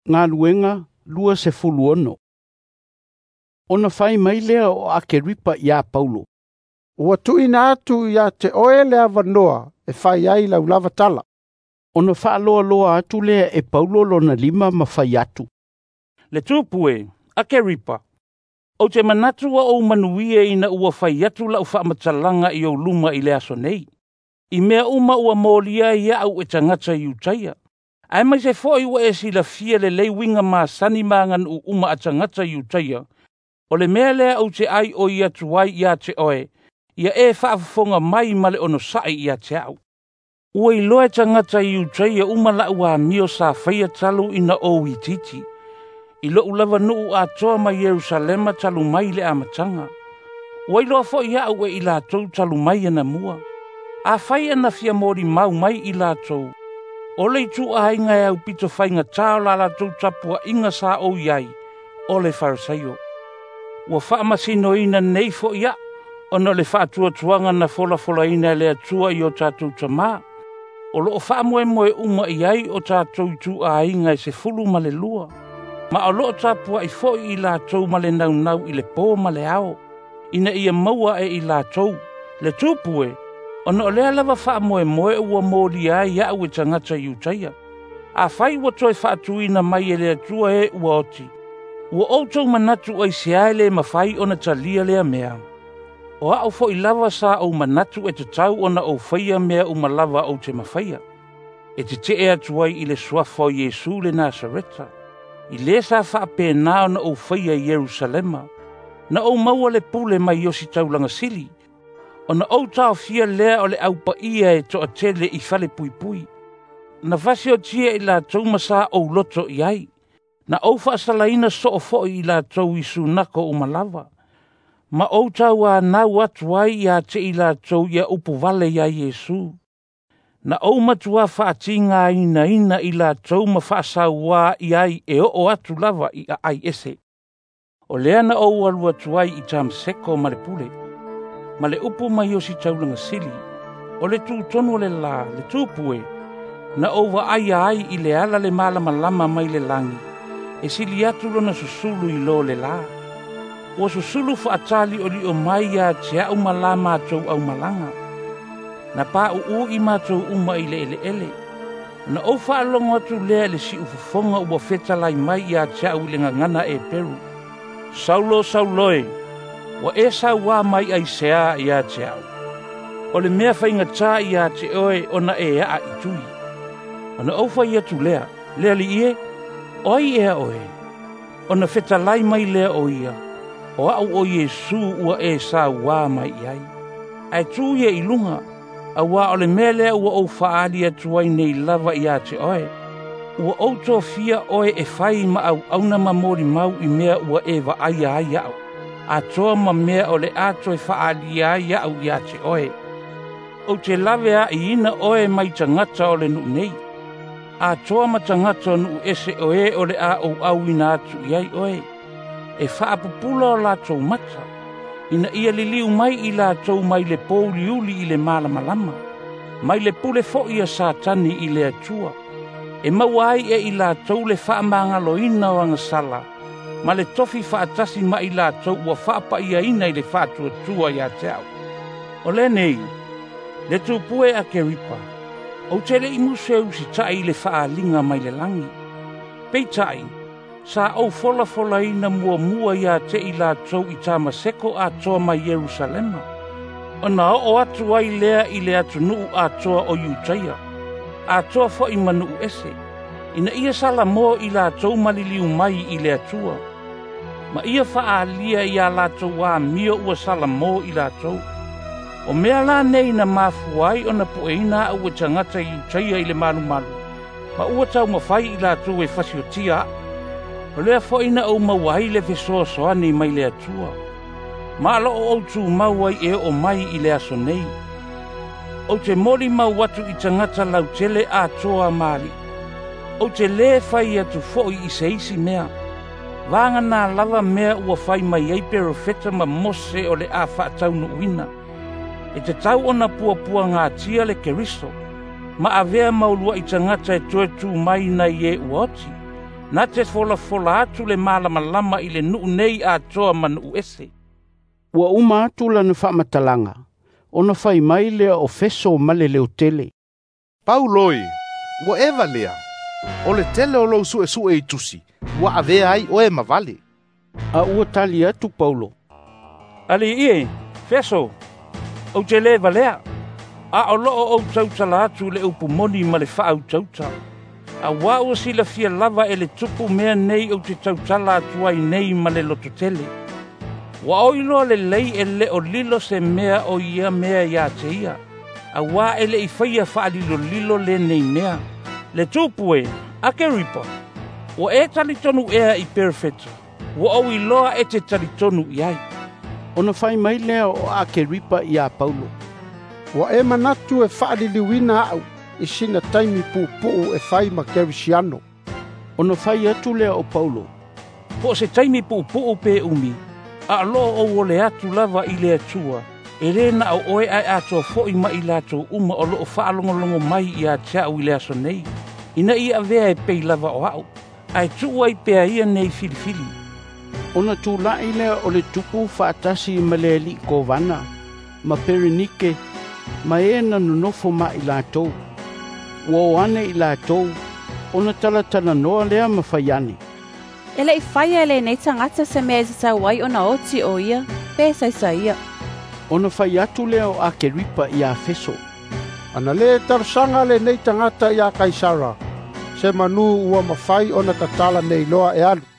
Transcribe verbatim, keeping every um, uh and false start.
Galuega luasefulu ono. Ona fai mai lea o Akeripa iā Paulo, "Ua tuuina atu ia te oe le avanoa e fai ai lau lava tala." Ona faaloaloa atu lea e Paulo lona lima ma fai atu, "Le tupu e, Akeripa, ou te manatu ua ou manuia ina ua fai atu lau faamatalaga i ou luma i le aso nei, i mea uma ua molia ai iaʻu e tagata Iutaia, aemaise foi ua e silafia lelei uiga masani ma aganuu uma a tagata Iutaia. O le mea lea ou te aioi atu ai ia te oe, ia e faafofoga mai ma le onosaʻi ia te aʻu. Ua iloa e tagata Iutaia uma laʻu amio sa faia talu ina ou itiiti, i loʻu lava nuu atoa ma Ierusalema talu mai le amataga. Ua iloa foʻi aʻu e i latou talu mai anamua. Afai ana fia molimau mai i latou, o le ituaiga e aupito faigatā o la latou tapuaʻiga sa ou i ai, o le Farisaio. Ua faamasinoina nei foʻi aʻu, ona o le faatuatuaga na folafolaina e le Atua i o tatou tamā, o loo faamoemoe uma i ai o tatou ituaiga e sefulu ma le lua, ma o loo tapuaʻi foʻi i latou ma le naunau i le pō ma le ao, ina ia maua e i latou. Le tupu e, ona o lea lava faamoemoe ua molia ai iaʻu e tagata Iutaia. Afai ua toe faatuina mai e le Atua e ua oti, ua outou manatu aisea e lē mafai ona talia lea mea? O aʻu foʻi lava sa ou manatu e tatau ona ou faia mea uma lava ou te mafaia, e teteʻe atu ai i le suafa o Iesu le Nasareta, i lē sa faapena ona ou faia i Ierusalema. Na ou maua le pule mai ositaulaga sili, ona ou taofia lea o le aupaia e toatele i fale puipui. Na fasiotia i latou ma sa ou loto i ai, na ou faasalaina soo foʻi i latou i sunako uma lava, ma ou tauanau atu ai ia te i latou ia upu vale iā Iesu. Na ou matuā faatigainaina i latou ma faasauā i ai e oo atu lava i aai ese. O lea na ou alu atu ai i Tamaseko ma le pule, ma le upu mai ositaulaga sili, o le tutonu o le lā, le tupu e, na ou vaaia ai i le ala le malamalama mai le lagi, e sili atu lona susulu i lo le lā. Ua susulu faataliʻoliʻo mai ia te aʻu ma la matou aumalaga. Na paʻuʻu i matou uma i le eleele. Na ou faalogo atu lea i le siufofoga ua fetalai mai ia te aʻu i le gagana Eperu, 'Saulo, Saulo e, ua e sauā mai aisea ia te aʻu? O le mea faigatā ia te oe ona e aa i tui.' Ona ou fai atu lea, 'Le Alii e, o ai ea oe?' Ona fetalai mai lea o ia, 'O aʻu o Iesu ua e sauā mai i ai. Ae tu ia i luga, auā o le mea lea ua ou faaali atu ai nei lava ia te oe. Ua ou tofia oe e fai ma auauna ma molimau i mea ua e vaaia ai aʻu, atoa ma mea o le a toe faaalia ai aʻu ia te oe. Ou te lave aʻiina oe mai tagata o le nuu nei, atoa ma tagata o nuu ese o e o le a ou auina atu i ai oe, e faapupula o latou mata, ina ia liliu mai i latou mai le pouliuli i le malamalama, mai le pule foʻi a Satani i le Atua, e maua ai e i latou le faamagaloina o agasala, ma le tofi faatasi ma i latou ua faapaiaina i le faatuatua ia te aʻu.' O lenei, le tupu e Akeripa, ou te leʻi musu e usitaʻi i le faaaliga mai le lagi. Peitai, sa ou folafolaina muamua ia te i latou i Tamaseko atoa ma Ierusalema, ona oo atu ai lea i le atunuu atoa o Iutaia, atoa foʻi ma nuu ese, ina ia salamo i latou maliliu mai i le Atua, ma ia faaalia iā latou amio ua salamo i latou. O mea la nei na mafua ai ona pueina aʻu e tagata Iutaia i le malumalu, ma ua taumafai i latou e fasiotia aʻu. O lea foʻi na ou maua ai le fesoasoani mai le Atua, ma loo ou tumau ai e oo mai i le aso nei. Ou te molimau atu i tagata lautele atoa ma aliʻi. Ou te lē fai atu foʻi i se isi mea, vaganā lava mea ua fai mai ai perofeta ma Mose o le a faataunuuina, e tatau ona puapuagatia le Keriso, ma avea mauluaʻi tagata e toe tu mai nai e ua oti, na te folafola atu le malamalama i le nuu nei atoa ma nuu ese. Ua uma atu lana faamatalaga, ona fai mai lea o Feso ma le leotele. Paulo e, ua e valea, o le tele o lou suesue i tusi, ua avea ai oe ma vale. A ua tali atu Paulo, Alii e, Feso, ou te lē valea, a o loo ou tautala atu le upu moni ma le faautauta. Auā ua silafia lava e le tupu mea nei ou te tautala atu ai nei ma le lototele. Ua o iloa lelei e le o lilo se mea o ia mea iā te ia, auā e leʻi faia faalilolilo lenei mea. Le tupu e, Akeripa, ua e talitonu ea i Perefeta, ua ou iloa e te talitonu i ai. Ona fai mai lea o Akeripa iā Paulo, Ua e manatu e faaliliuina a'u i sina taimi puupuu e fai ma Kerisiano. Ona fai atu lea o Paulo, Po o se taimi puupuu pe umi, a o loo ou ole atu lava i le Atua, e lē na o oe ae atoa foʻi ma i latou uma o loo faalogologo mai iā te a'u i le aso nei, ina ia avea e pei lava o a'u, ae tuu ai pea ia nei filifili. Ona tulaʻi lea o le tupu faatasi ma le aliʻi kovana, ma Perenike, ma e na nonofo ma i latou. Ua o ane i latou, ona talatalanoa lea ma fai ane. E leʻi faia e lenei tagata se mea e tatau ai ona oti o ia, pe saisaia. Ona fai atu lea o Akeripa iā Feso, Ana lē talosaga lenei tagata iā Kaisara, se manū ua mafai ona tatala nei loa e alu.